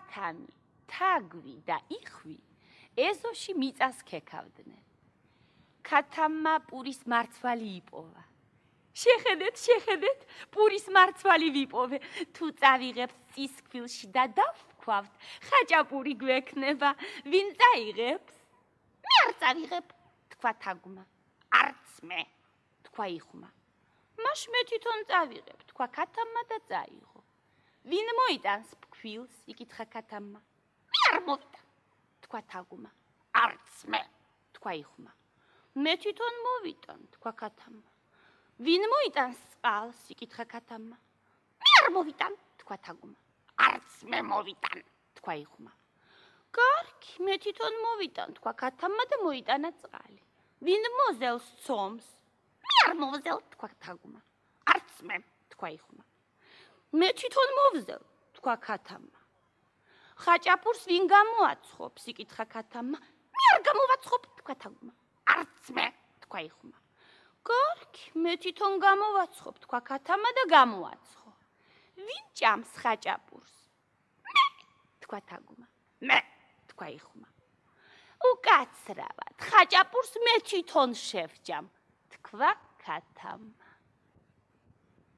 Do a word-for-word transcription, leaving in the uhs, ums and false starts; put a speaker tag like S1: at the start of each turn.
S1: ქათამი, თაგვი და იხვი ეზოში მიწას ქექავდნენ. ქათამმა პურის მარცვალი იპოვა. შეხედეთ, შეხედეთ, პურის მარცვალი ვიპოვე. თუ წავიღებთ წისქვილში და დავქვავთ, ხაჭაპური გვექნება. ვინ წაიღებს? მე არ წავიღებ, თქვა თაგვმა. არც მე, თქვა იხვმა. მაშ მე თვითონ წავიღებ, თქვა ქათამმა და წაიღო. ვინ მოიტანს ფქვილს? იკითხა ქათამმა. მე არ მოვიტან, თქვა თაგვმა. არც მე, თქვა იხვმა. მე თვითონ მოვიტან, თქვა ქათამმა. ვინ მოიტანს წყალს? იკითხა ქათამმა. მე არ მოვიტან, თქვა თაგვმა. არც მე მოვიტან, თქვა იხვმა. კარგი, მე თვითონ მოვიტან, თქვა ქათამმა და მოიტანა წყალი. ვინ მოზელს ცომს? მე არ მოვზელ, თქვა თაგვმა. არც მე, თქვა იხვმა. მე თვითონ მოვზელ, თქვა ქათამმა. ხაჭაპურს ვინ გამოაცხობს? იკითხა ქათამმა. მე არ გამოვაცხობ, თქვა თაგვმა. არც მე, თქვა იხვმა. კარგი, მე თვითონ გამოვაცხობ, თქვა ქათამმა და გამოაცხო. ვინ ჭამს ხაჭაპურს? მე, თქვა თაგვმა. მე, თქვა იხვმა. უკაცრავად, ხაჭაპურს მე თვითონ შევჭამ, თქვა ქათამმა.